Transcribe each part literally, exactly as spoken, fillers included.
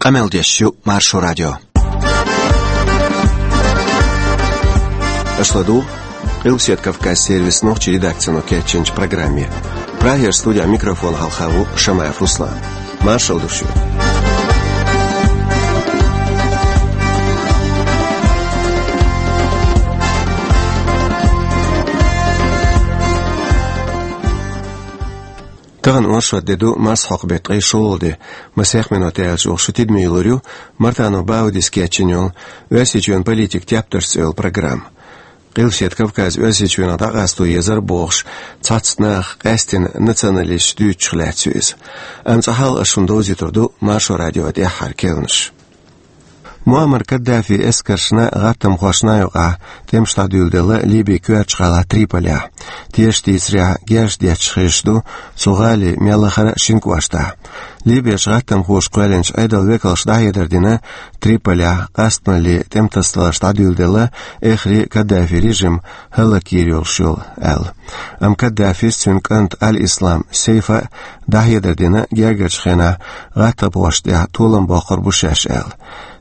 Къамел деш ю Маршо радио. Аша ладугӀу Къилбаседа Кавказ сервисан нохчийн редакцино кечйинчу программе. Прагера студехь микрофон хьалха ву Шамаев Руслан. Маршалла ду шуьга. Тахана оршот де ду, марсхьокху беттан ткъе шолгӀа де. Масех минот аьлча оха шу тидаме йиллар ю Мартанов Баудис кечйина йолу «Оьрсийчоьнан политика тептарш» цӀе йолу программа. Къилбаседа Кавказ Оьрсийчоьнах дӀакъасто езара бохуш, цхьацца наха къаьстина националисташ дуьйцучух лаьцна ю иза. Амма цкъа хьалха аш шуна довзуьйтур ду Маршо радион тӀаьххьара керланаш. Муаммар Каддафин эскаршна, гӀаттамхошна юкъахь тӀемаш дӀадуьйладелла Ливин коьртачу гӀалахь Триполехь. Тешаш дийцарехь, герз детташ хезаш ду цу гӀалин мелла а хӀара шина кӀоштахь. Ливерчу гӀаттамхоша кхоьллинчу Ӏедалан векалша дӀахьедар дина, Триполехь къастамаллин тӀематасадаларш дӀадуьйладелла, эххар а Каддафин режим хӀаллакйийр йолуш йолу аьлла. Амма Каддафис, цуьнан кӀанта Аль-Ислам Сейфа а дӀахьедар дина, гергарчу хенахь гӀаттамхошна тӀехь толам боккхур бу шаьш аьлла.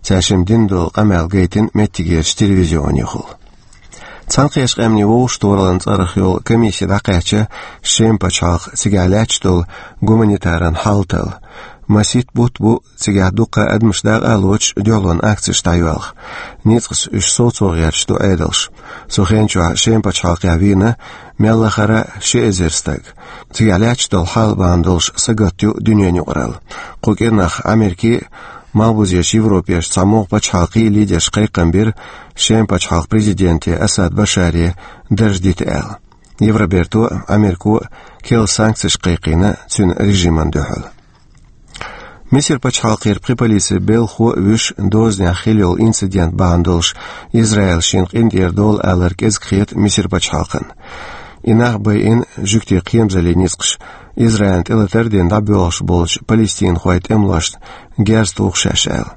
Цаьршимма дина долу къамел гайтина меттигерчу телевизионехула. Цхьаьнакхеттачу Къаьмнийн Вовшахтохараллин цӀарах йолу комисси дӀакхаьчна Шеман пачхьалкх, цигахь лаьтташ долу гуманитаран хьал талла. Масийтта бутт бу цигахь дуккха а адамаш дакъа а лоцуш дуьхьалонан акцеш дӀайоьлху. Ницкъаца уьш совцо гӀерташ ду Ӏедалш. Цу хен чохь Шеман пачхьалкхехь вийна мелла а хӀара ши эзар стаг. Цигахь лаьтташ долу хьал бахьана долуш сагатду дуьненан юкъаралла. Кху кӀирнах Америкин а, Малхбузерчу Европерчу цхьа могӀа пачхьалкхийн а лидерша кхайкхам бира Шеман пачхьалкхан президенте Асад Башаре дарж дита аьлла. Евроберто а, Америко а керла санкцеш кхайкхийна цуьнан режимна дуьхьал. Мисар пачхьалкхера пхи полицин белхахо а вуьйш дозанехь хилла йолу инцидент бахьана долуш, Израилс шена къинтӀера долу алар кӀезиг хета Мисар пачхьалкхана. И нах байина жуьгтийн кхерамзаллин ницкъаша, Израилна тӀелатар а дина дӀабоьлхуш болчу палестинхойн тӀемалошна герз туху шаьш аьлла.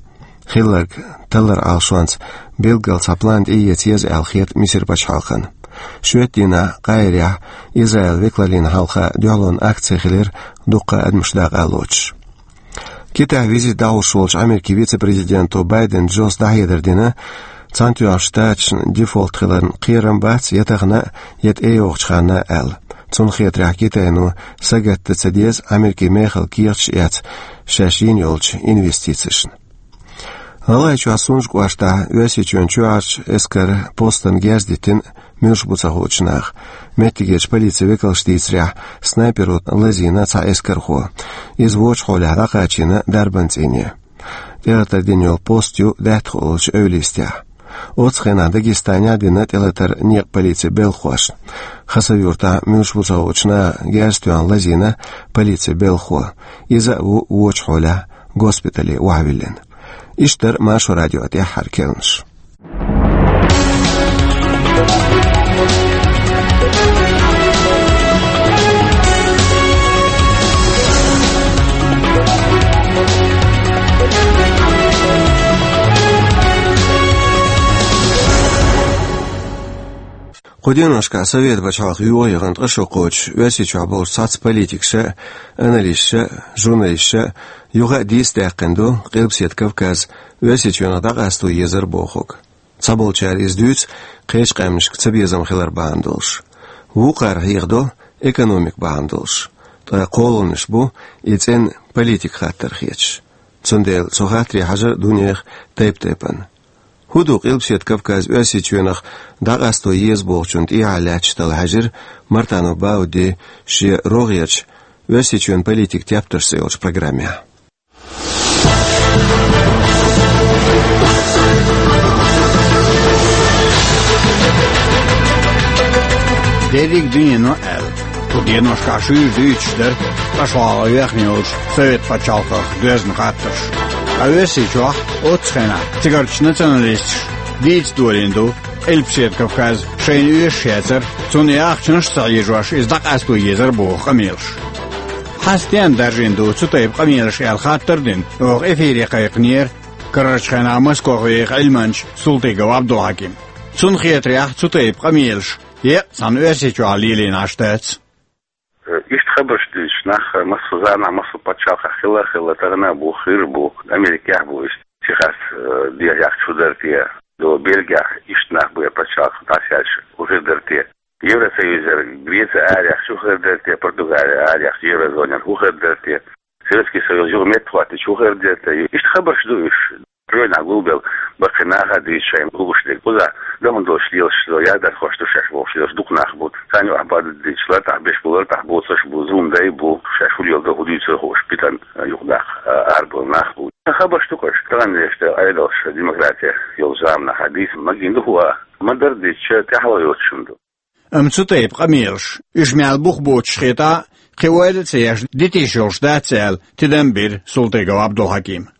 Хилларг талларан Ӏалашонца билггал цхьа план тӀеэца еза аьлла хета Мисар пачхьалкхана. Шоьтан дийнахь Къаирехь Израилан векалаллина хьалха дуьхьалонан акци хилира, дуккха а адамаш дакъа а лоцуш. Китайхь визит дӀахьош волчу Америкин вице-президенто Байден Джос дӀахьедар дина, Цхьаьнатоьхначу Штаташна дефолт хиларна кхерам бац я тахана а, я тӀейогӀучу ханна а аьлла. Цунна хетарехь, Китайно сагатдан ца деза Америкин мехала кехаташ эцна шаьш йина йолчу инвестицешна. ГӀалгӀайчохь Сунжа кӀоштахь Оьрсийчоьнан чоьхьарчу эскаран постана герз диттина муьлш бу ца хуучу наха. Меттигерчу полицин векалша дийцарехь, снайперо лазийна цхьа эскархо. Иза вочу хьолехь дӀакхачийна дарбан цӀийне. ТӀелатар дина йолу пост ю Даьттахо олучу эвла йистехь. Оццу хенахь Дагестанехь а дина тӀелатар некъан полицин белхахошна. Хасавюртахь муьлш бу ца хуучу наха герз тоьхна лазийна полицин белхахо. Иза а ву вочу хьолехь госпитале охьавиллина. Иштта дара Маршо радион тӀаьххьара керланаш. Кху деношкахь Советан пачхьалкх йогӀу яхана ткъа шо кхочуш, Оьрсийчохь болчу цхьацца политикаша а, аналисташа а, журналисташа а юха а дийца даьккхина ду Къилбаседа Кавказ Оьрсийчоьнах дӀакъасто езара бохург. Цхьаболчара иза дуьйцу кхечу къаьмнашка цабезам хилар бахьана долуш. Вукхара хьехадо экономика бахьана долуш. Ткъа кхоалгӀанаш бу и цӀена политикан хаттар хеташ. Цундела цу хаттаре хьажар ду нехан тайп-тайпана. ХӀун ду Къилбаседа Кавказ Оьрсийчоьнах дӀакъасто еза бохучунна тӀехьа лаьтташ талла хьаьжира Мартанов Баудди шен рогӀерчу «Оьрсийчоьнан политика тептарш» цӀе йолчу программехь. Дерриг дуьнено аьлла, кху деношкахь шуьйра дуьйцуш дара ткъа шолгӀа вехна йолчу Совет пачхьалкхах доьзна хаттарш. Ткъа Оьрсийчохь оццу хенахь цигарчу националисташа дийца долийна ду Къилбаседа Кавказ шайна оьшуш яцара, цунна и ахчанаш а ца хьежош, иза дӀакъасто езара боху къамелаш. Хьан стенна даржийна ду цу тайпа къамелаш аьлла хаттар а дина, оха эфире кхайкхинера карарчу хенахь Москох вехаш Ӏилманча Султыгов Абдулхьаким. Цунна хетарехь, цу тайпа къамелаш еккъа цхьана Оьрсийчохь лелийна Ӏаш дац. Э, иштта Хабарш дуьйцуш нах массо заманахь, массо пачхьалкхехь хилла а хилла, тахана а бу, хир а бу, Америкехь а бу, иштта Техас, э, дехьа чу дара те, до Бельгехь, иштта нах бу, пачхьалкх дӀасаьлча, хӀун хир дара те. Евросоюзера Греция арахь чу хир дара те, Португалия арахь Еврозонера хӀун хир дара те, Советский Союз юха меттахӀоттийча хӀун хир дара те. Иштта хабарш ду уьш. Ройнахь гулбелла баккхий наха а дуьйцу шайна хууш дерг. Кхузахь дан долуш лелаш, ядархош ду шаьш бохуш лелаш дукха нах бу. Царна юкъахь баддича лартӀахь беш бу, лартӀахь боцуш бу, зулам дай бу, шаьш хӀун леладо, хӀун дуьйцур хууш, питана юкъадаккха арабевлла нах бу. Хабарш ду-кх уьш, тахана деш Ӏедалш демократи йолчу заманахь дийца магийна ду хӀун а. Ма-дарра дийцича, тӀаьхьало йоцуш хӀума ду. Амма цу тайпа къамелаш, уьш мел бух боцуш хетахь а, кхин ойла а ца еш, дитийш йолуш дац аьлла, тидам бира Султыгов Ӏабдулхьакима.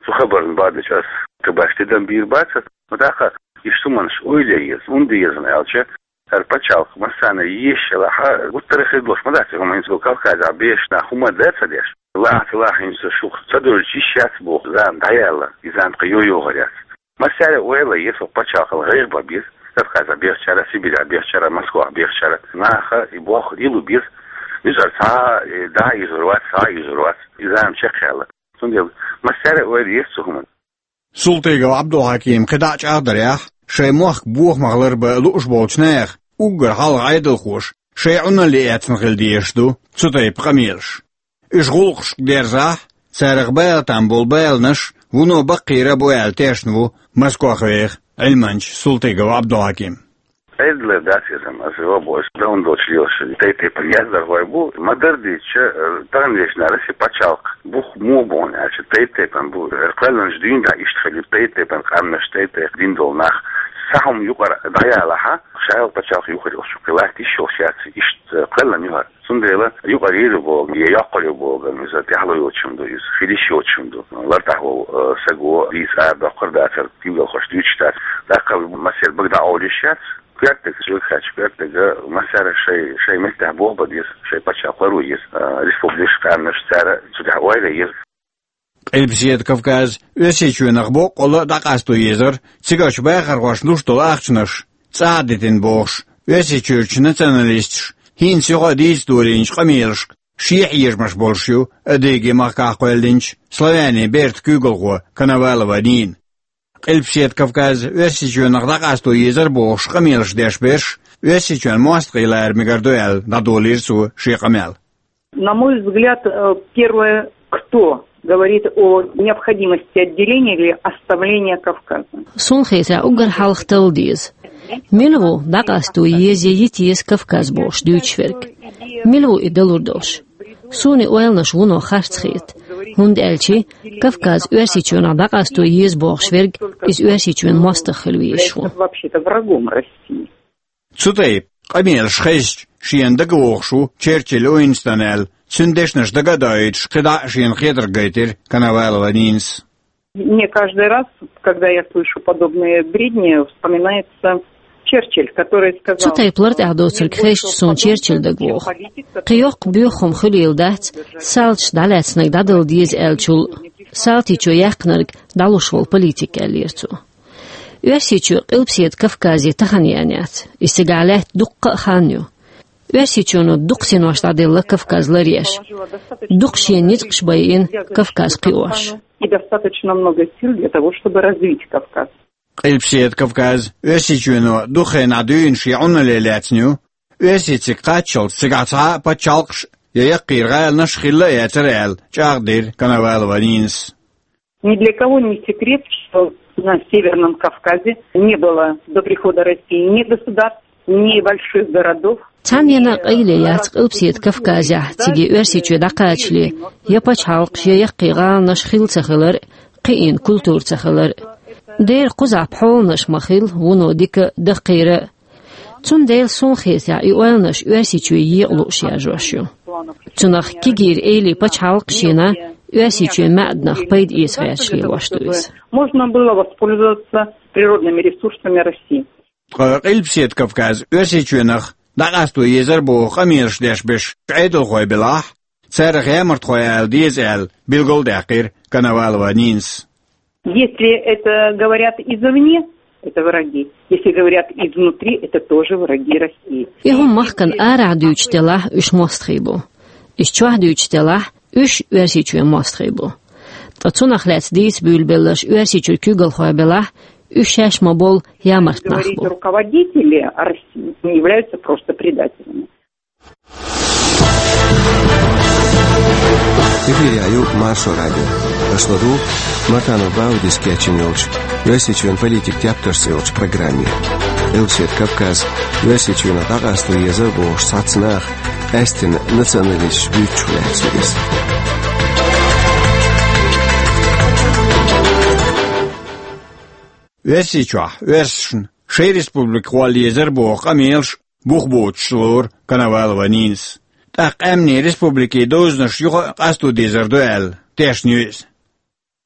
Цу хабарна баддича ас кхин башха тидам бийр бац ас, ма тӀаккха иштта хӀуманаш ойла ян еза, хӀунда еза аьлча, хӀара пачхьалкх массарна езаш елахь а, гуттар а хир долуш ма дац и хӀума, хӀинца Кавказехь бехаш нах хӀума дан а ца деш. Лахьа ца лахьа, хӀинца шух ца девлча йиш яц боху зама дӀаяьлла, и зама тхан йо-йогӀур яц. Массаьрга ойла ян еза, хӀокху пачхьалкхана гӀайгӀа бан беза, Кавказехь бехачара, Сибирехь бехачара, Москвахь бехачара, наха и болх лело беза. Нуьцкъара цхьа а, э, дӀа а юьзур вац, схьа а юьзур вац, и зама чекхъяьлла. Цундела массаьрга ойла еза цу хӀуманна. Султыгов Ӏабдулхьакима кхидӀа а чӀагӀдарехь, шайн мохк бохамах ларбан лууш болчу нехан уггар хьалха Ӏедалхоша шайн Ӏуналле эцна хила дезаш ду цу тайпа къамелаш. Уьш гӀуллакхашка дерзахь, царах бала там болу баланаш вуно баккхийра а бу аьлла тешна ву Москвахь веха Ӏилманча Султыгов Ӏабдулхьаким. Ӏедалера дац иза, аса йо боху, дан долуш лелаш тайп-тайпана яздархой бу, ма-дарра дийцича, тахана дешнарг Россин пачхьалкх бух муха бу хьуна аьлча, тайп-тайпана бу. Кхоьллинчу дуьйна тӀехь иштта хилла, тайп-тайпана къаьмнаш, тайп-тайпа дин долу нах, схьа хӀума юкъара дӀаяьлча, шайолу пачхьалкх юххера йолуш, кхин латта йиш йолуш яц, иштта кхоьллина ю хӀара. Цундела юкъара йийр ю боху, я йоккхур ю боху, иза тӀаьхьало йоцуш хӀума ду, иза хила йиш йоцуш хӀума ду. ЛартӀахь волу, э, саго дийца арадоккхур дацара, куьйгалхош дуьйцуш дац. ТӀаккха массеран бага дӀакъовла йиш яц. Коьртаниг, чӀогӀа хаьттича, коьртаниг массаьрга шайн, шайн меттехь болх бан деза, шайн пачхьалкх ларбан еза, э, республикаш, къаьмнаш, цара цу тӀехь ойла ян еза. Къилбаседа Кавказ Оьрсийчоьнах боккъалла а дӀакъасто езара, цигарчу бахархошна луш долу ахчанаш цӀа а дитина бохуш, Оьрсийчуьрчу националисташа хӀинца юха а дийца долийначу къамелашка шен хьежамаш болуш ю Адыги-махкахь кхоьллинчу славянийн бертан куьйгалхо Коновалова Нина. Къилбаседа Кавказ Оьрсийчоьнах дӀакъасто езара бохуш къамелаш деш берш Оьрсийчоьнан мостагӀий лара мегар ду аьлла, дӀадолийра цо шен къамел. На мой взгляд, э, первое, кто говорит о необходимости отделения или оставления Кавказа. Суна хетарехь, уггар хьалха талла деза. Мила ву дӀакъасто еза я йита еза Кавказ бохуш дуьйцуш верг? Мила ву и далур долуш? Суна и ойланаш вуно харц хета, хӀунда аьлча Кавказ Оьрсийчоьнах дӀакъасто еза бохуш верг, иза Оьрсийчоьнан мостагӀа хила везаш ву. Вообще-то врагом России. Цу тайпа къамелаш хезча, шена дагавогӀуш ву Черчилль Уинстон аьлла, цуьнан дешнаш дага а доуьйтуш, кхидӀа а шена хетарг гайтира Коновалова Нинас. Мне каждый раз, когда я слышу подобные бредни, вспоминается Черчилль, который сказал, Цу тайпа лартӀехь доцург хезча, суна Черчилль дагавогӀу. Кхин йоккха боьха хӀума хуьлийла дац, салташ дӀалаьцнарг дӀадала деза аьллачул, салтичо яьккхинарг дӀалуш волу политик, аьллера цо. Оьрсийчоь Къилбаседа Кавказе тахана еана яц. Иза цигахь лаьтта дуккха а хан ю. Оьрсийчоьно дукха синош дӀаделла Кавказ ларъеш. Дукха шен ницкъаш байина Кавказ кхиош. И достаточно много сил для того, чтобы развить Кавказ. Къилбаседа Кавказ Оьрсийчоьно дукха хенахь дуьйна шен Ӏуналле лаьцна ю. Оьрсий цига кхаччалц цигахь цхьа а пачхьалкхаш я яккхийра гӀаланаш хилла а яцара аьлла, чӀагӀдира Коновалова Нинас. Ни для кого не секрет, что на Северном Кавказе не было до прихода России ни государств, ни больших городов. Цхьаннена а къайле яц Къилбаседа Кавказехь цига Оьрсийчоь дӀакхачале я пачхьалкхаш, я яккхий гӀаланаш хилла ца хилар а, кхиийна культура ца хилар а. Дера кхузахь пхьоланаш ма-хилла, вуно дика а, даккхийра а. Цундела суна хетарехь, и ойланаш Оьрсийчоь екъа лууш яржош ю. Цунах кегийра эйлийн пачхьалкхаш йина, Оьрсийчоьнан маьӀданах пайда эца гӀерташ лелош ду иза. Можно было воспользоваться природными ресурсами России. Ткъа Къилбаседа Кавказ Оьрсийчоьнах дӀакъасто езара боху къамелаш деш берш Ӏедалхой белахь, царах ямартхой ала деза аьлла, билгалдаьккхира Коновалова Нинас. Если это говорят извне, это враги. Если говорят изнутри, это тоже враги России. И хӀума махкана арахь дуьйцуш делахь, уьш мостагӀий бу. Иза чохь дуьйцуш делахь, уьш Оьрсийчоьнан мостагӀий бу. Ткъа цунах лаьцна дийца буьйлабелларш Оьрсийчуьра куьйгалхой белахь, уьш шаьш ма болу ямарт нах бу. Говорить руководители России не являются просто предателями. Эфире ю Маршо радио. Аша ладугӀу Мартанов Баудис кечйина йолчу Оьрсийчоьнан политикан тептарш цӀе йолчу программе. Элпсет Кавказ, Оьрсийчоьнах дӀакъасто езар бохуш цхьацца наха къаьсттина националисташ буьйцуш лаьцна иза. Оьрсийчохь оьрсашна шайн республика гӀолла езар боху къамелаш бух боцуш лору Коновалова Нинас. ТӀаккха къаьмнийн республикийн дозанаш юха а къасто дезар ду аьлла, тешна ю иза.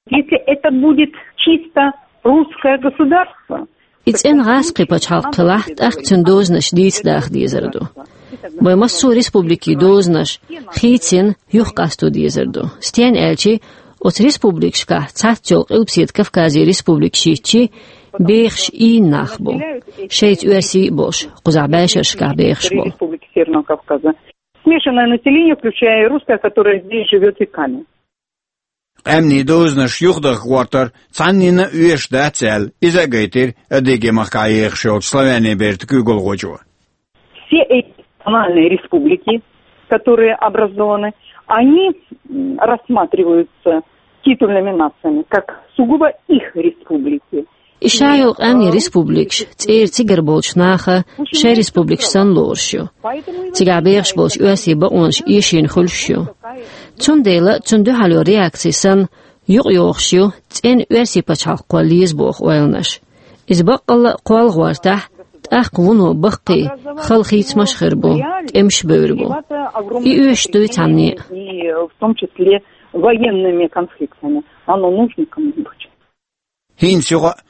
Если это будет чисто русское государство, и цӀена гӀазкхийн пачхьалкх хилахь, тӀаккха цуьнан дозанаш дийца даха дезар ду. Вайн массо а республикийн дозанаш хийцина юха къасто дезар ду. Стенна аьлча, оцу республикашкахь цхьацца йолу Къилбаседа Кавказан республикаш йитча, бехаш ийна нах бу. Шайца оьрсий а болуш, кхузахь бӀешерашкахь бехаш болу. Республики Северного Кавказа. Смешанное население, включая и русское, которое здесь живёт веками. Къаьмнийн дозанаш юхадахка гӀортар цхьанненна а оьшуш дац аьлла, иза а гайтира Адыгейн махкахь ехаш йолчу Славяне Берта куьйгалхочо. Все эти национальные республики, которые образованы, они, м, рассматриваются титульными нациями как сугубо их республики. И ша йолу къаьмнийн республикаш цӀера цигара болчу наха шайн республикаш санна лоруш ю. Цигахь бехаш болчу оьрсийн бакъонаш эшийна хуьлуш ю. Цундела цунна дуьхьал йолу реакци санна юкъайохуш ю цӀена оьрсийн пачхьалкх кхолла еза боху ойланаш. Иза баккъалла а кхолла гӀортахь, тӀаккха вуно баккхий, хала хийцамаш а хир бу, тӀемаш а бевр бу. И оьшуш дуй цхьанне а. И в том числе военными конфликтами. Оно нужно кому-нибудь? ХӀинца юха а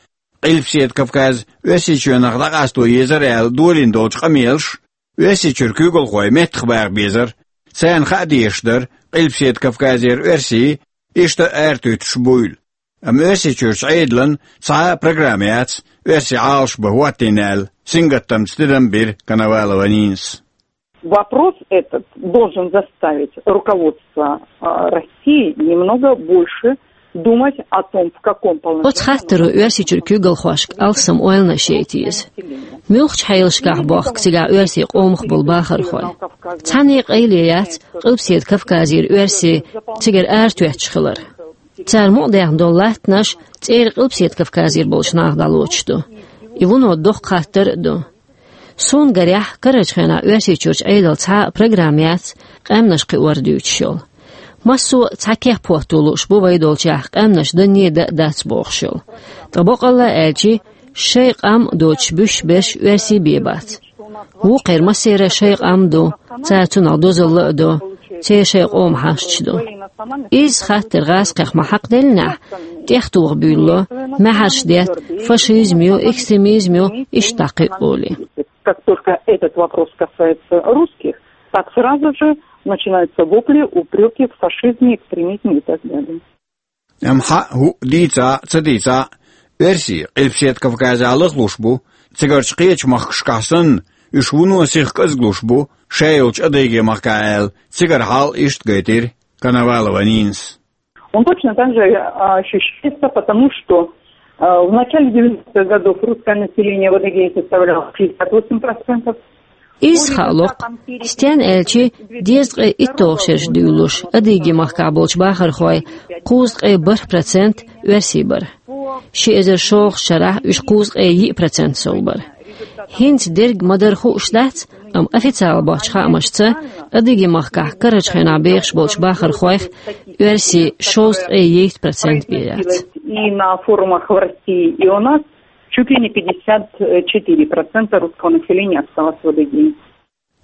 Къилбаседа Кавказ Оьрсийчоьнах дӀакъасто езар аьлла долийна долчу къамелаш Оьрсийчуьра куьйгалхой меттахбаха безара, царна хаа дезаш дара Къилбаседа Кавказера оьрсий иштта аратуьттуш буйла. Амма Оьрсийчуьрчу Ӏедалан цхьа а программа яц оьрсий Ӏалашбан хӀоттийна аьлла, сингаттамца тидам бира Коновалова Нинас. Вопрос этот должен заставить руководство, а, России немного больше думать о том, в каком положении... Оцу хаттаро Оьрсийчуьра куьйгалхошка алссам ойланаш яйта еза. Муьлхачу хьелашкахь бохку цигахь оьрсийн къомах болу бахархой? Цхьанне а къайле яц Къилбаседа Кавказера оьрсий цигара аратоьттуш хилар. Цара мукъадаьхна долу латтанаш цӀера Къилбаседа Кавказера болчу наха дӀалоцуш ду. И вуно доккха хаттар а ду. Суна гарехь, карарчу хенахь Оьрсийчуьрчу Ӏедалан цхьа а программа яц къаьмнаш кхиорах дуьйцуш йолу. Массо а цхьа кеп хӀотто лууш бу вай долчехь къаьмнаш данне а дан а дац бохуш йолу. Ткъа баккъалла а аьлча, шайн къам а доцуш буьсуш берш оьрсий бен бац. Вукхеран массеран шайн къам ду, цара цунах дозалла а до, церан шайн къоман хьашташ ду. Изза хаттар гӀазкхех ма хьакхаделлинехь, тӀехтоха буьйлало, маьхьарш детта, фашизм ю, экстремизм ю, иштта дӀакхиъ олий. Как только этот вопрос касается русских, так сразу же начинаются вопли, упреки в фашизме, экстремизме и так далее. Амма хьаъ, хӀуъа дийца а, ца дийца а, оьрсий Къилбаседа Кавказехь лахлуш бу, цигарчу кхечу махкашкахь санна, уьш вуно сиха кӀезиглуш бу, ша йолчу Адыгейн махкахь аьлла, цигара хьал иштта гайтира Коновалова Нинас. Он точно так же, а, ощущается, потому что, а, в начале девяностых годов русское население в Адыгее составляло шестьдесят восемь процентов. Изза хаало-кх, стенна аьлча, дезткъе итталгӀа шераш дуьйлалуш, Адыгейн махкахь болчу бахархойн кхузткъе бархӀ процент оьрсий бара. Ши эзар шолгӀачу шарахь уьш кхузткъе йиъ процент сов бара. ХӀинца дерг ма-дарра хууш дац, амма официалан боцчу хаамашца, Адыгейн махкахь карарчу хенахь бехаш болчу бахархойх оьрсий шовзткъе йийтта процент бен яц. И на форумах в России, и у нас чуть ли не пятьдесят четыре процента русского населения осталось в Адыгее.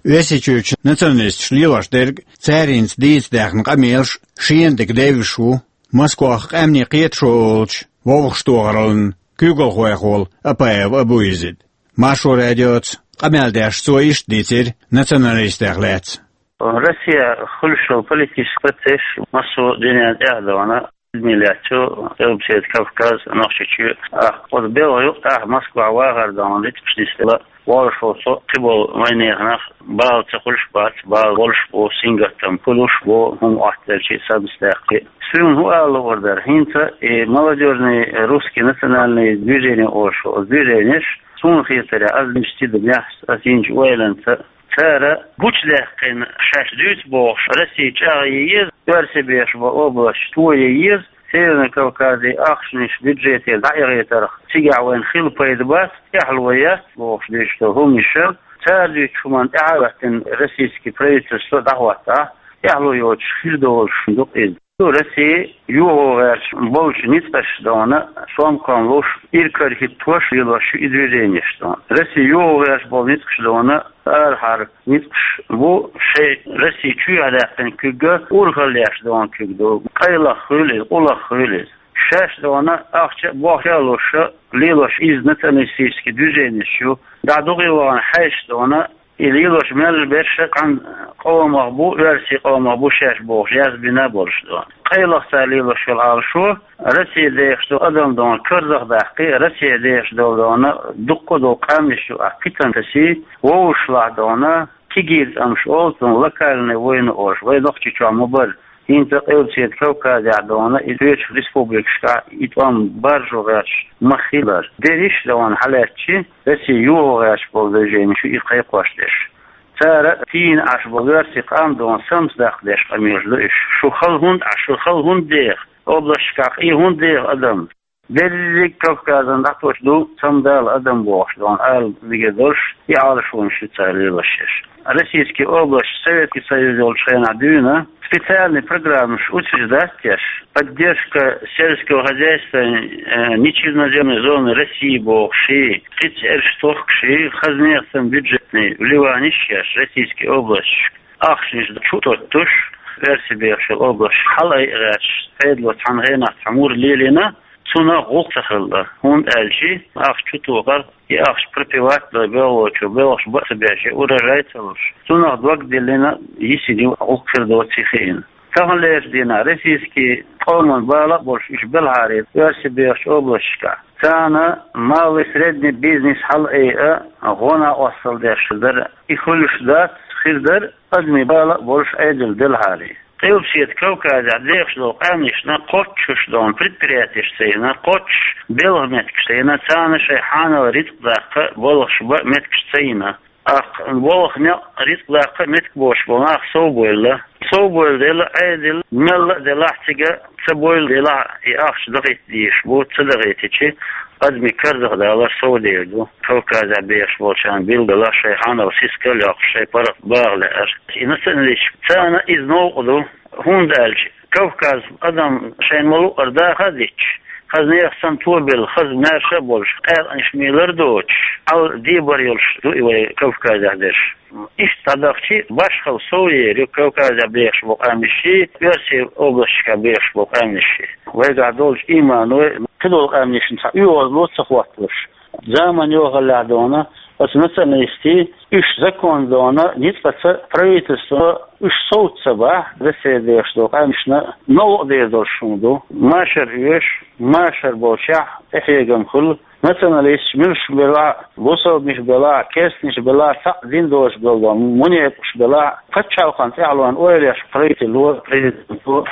Оьрсийчуьрчу националисташа лелош дерг, цара хӀинца дийца даьхна къамелаш шена дика девзаш ву Москвахь къаьмнийн кхеташо олучу вовшахтохараллин куьйгалхойх волу Апаев Абу-Язид. Маршо радиоца къамел деш цо иштта дийцира националистех лаьцна. Россия хуьлуш йолу политический процесс массо а дуьненна тӀаьхьа ду вайна. Миллиард чу Къилбаседа Кавказ, Нохчийчоь, а, оцу белхан юкъа тӀехь Москва вахар дан литкаш нисла. воллушехь, со кхин болу вайнехан нах бала ца хуьлуш бац, бала болуш бу, сингаттам хуьлуш бу, хӀума оттаделчи, самсадаьккхи. Суна хӀун ала луур дара, хӀинца и молодёжный русский национальный движение олуш, оцу движенеш, суна хетарехь, ас динчу тидамехь, ас йинчу ойланца, цара гучудаьккхина шаьш дуьйцу бохуш, Россия чӀагӀъе еза, оьрсий бехаш болу областаш тое еза, Северный Кавказе ахчанаш бюджетера дӀаихийтарх, цигахь вайна хила пайда бац, тӀаьхьало яц бохуш дуьйцуш долу хӀуманаш, цара дуьйцучу хӀуманна тӀаьхьа а хӀоьттина российский правительство дӀахӀоттахь, тӀаьхьало йоцуш хир долуш ду иза. Россия юхо гӀерташ болчу ницкъаша дона, сомкам луш, иракарахӀиттош лелош ю и движенеш дона. Россия юхо гӀерташ болу ницкъаша дона, арахьара ницкъаш бу, шайн Россия чоьхьа даьккхина куьг урхалла еш дона куьг ду, къайлаха хуьлу иза, къулаха хуьлу иза. Шаьш дона ахча а, бохча а луш, лелош иза националистический движенеш ю. ДӀа дукха вахана хьаьжча дона, и лелош мел берш а цхьана къомах бу, оьрсийн къомах бу шаьш бохуш, язбина болуш дона. Къайлаха цара лелош йолу Ӏалашо, Россия дехаш долу адам дона карзахдаккхий, Россия дехаш долу дона дуккха а долу къаьмнаш ю, ахь кхитам тасий, вовшашлахь дона, кегийрхой цӀамаш олу цунах, локальная война олуш, вай Нохчийчохь ма бара. ХӀинца Къилбаседа Кавказехь дона, и кхечу республикашкахь и тӀом баржо гӀерташ ма хилара. Дерриш а дона хьалаьцчи, Россия юхо гӀерташ болу движенеш ю и кхайкхош дерш. Цара тийна Ӏаш болу оьрсийн къам дона самсадаккха деш къамелаш ду уьш. Шу хала хӀунда Ӏаш, шу хала хӀунда деха? Областашкахь и хӀунда деха адам? Дерриг Кавказан дӀатосуш ду самадала адам бохуш дона ала мегар долуш, и Ӏалашонаш ю цара лелош ерш. Российский областаш Советский Союз йолчу хенахь дуьйна, специальный программаш утверждать деш, поддержка сельского хозяйства, э, нечерноземной зоны России бохуший, кхин цӀераш тохкуший, хазнех санна бюджетный вливаниш еш, российский областашка ахчанаш чу а тоттуш, оьрсий бехаш йолу областаш хьала айа гӀерташ, Ӏедало цхьана хенахь цхьа мур лелийна, цунах гӀуллакх ца хилла, хӀунда аьлча ахча чу тохар, и ахча пропивать а дой белхалочо, белхаш бан а ца беш, урожай а ца луш, цунах дог диллина, йисина ю, гӀуллакх хир доций хиъна. Таханлерчу дийнахь российский къоман бала а болуш уьш белхьара оьрсий бехачу областашкахь, царна малый, средний бизнес хьала айа, гӀо-накъосталла деш дара, и хуьлуш дац, хир дара, адамийн бала а болуш Ӏедал делхьара. Къилбаседа Кавказехь дехаш долу къаьмнашна кхоччуш долу предприятеш ца йина, кхоччуш белхан меттигаш ца йина, царна шайн хьанал рицкъ даккха, балхаш бан меттигаш ца йина. Аккха балха некъ, рицкъ даккха меттиг боцуш болу нах сов бойла. Сов бойла дела, Ӏедал мелла а делахь, цига ца бойла делахь, и ахча дахийта дезаш бу, ца дахийтичи, адамийн карзахдалар сов дер ду. Кавказехь бехаш болчарна билггала шайн хьанал сискал а йоккхуш, шайн паргӀат багӀа лаьара. И националисташ, царна иза новкъа ду, хӀунда аьлча Кавказ адам шайна ма-луъара даха а дитча, хазнех санна тобелла, хаза маьрша а болуш, къаьркъанаш мелар а доцуш, Ӏала дебар йолуш ду и вай Кавказехь дерш. Иштта дӀадахчи, башхалла сов ер ю Кавказехь бехаш болу къаьмнашший, оьрсийн областашкахь бехаш болу къаьмнашший. Вайгахь долчу ийманой кхидолу къаьмнашна цхьа оьгӀазло ца хӀотталуш, заман йохаллехь дона, оцу националистийн, уьш закон дона, ницкъаца правительство уьш совца ца бахь, Россия дехаш долу къаьмнашна новкъа дер долуш хӀума ду. Машар оьшу, машар болчехь тӀехьегам хуьлу, националисташ муьлш белахь а, бусалбанаш белахь а, керстанаш белахь а, цхьаъ дин долуш белахь а, мунепакъаш белахь а, пачхьалкхан тӀаьхьалонан ойла еш правительство, президенто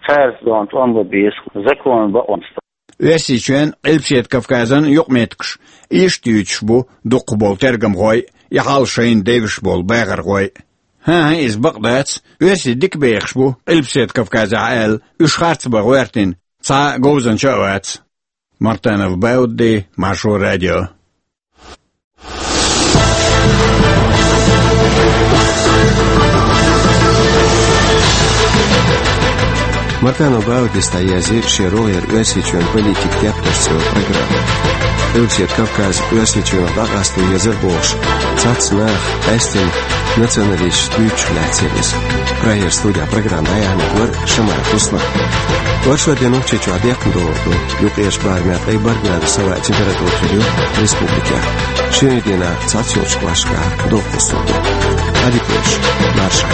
цаьрца дона тӀом бан беза, закон бакъонца. Оьрсийчоьнан, Къилбаседа Кавказан юкъаметтигаш иштта дуьйцуш бу дукхахболу тергамхой а, и хьал шайна девзаш болу бахархой а. ХӀан-хӀа, иза бакъ дац, оьрсий дика бехаш бу Къилбаседа Кавказехь аьлла, уьш харц бан гӀоьртина цхьа а говзанча а вац. Мартанов Бауди, Маршо радио. Мартанов Баудис дӀаязйи шен рогӀера Оьрсийчоьнан политикан тептарш цӀе йолу программа. Къилбаседа Кавказ Оьрсийчоьнах дӀакъасто езар бохуш, цхьацца наха къаьстина националисташ дуьйцуш лаьцна иза. Прагера студехь программа дӀаяьхьнарг вара Шамаев Руслан. Оршот де Нохчийчохь декхна догӀур ду. Юккъерчу барамехь ткъе бархӀ градус йовха температура хир ю республикехь. Шина дийнахь цхьацца йолчу кӀошташкахь доккха хӀусам ду. Ӏадика йойла, марша.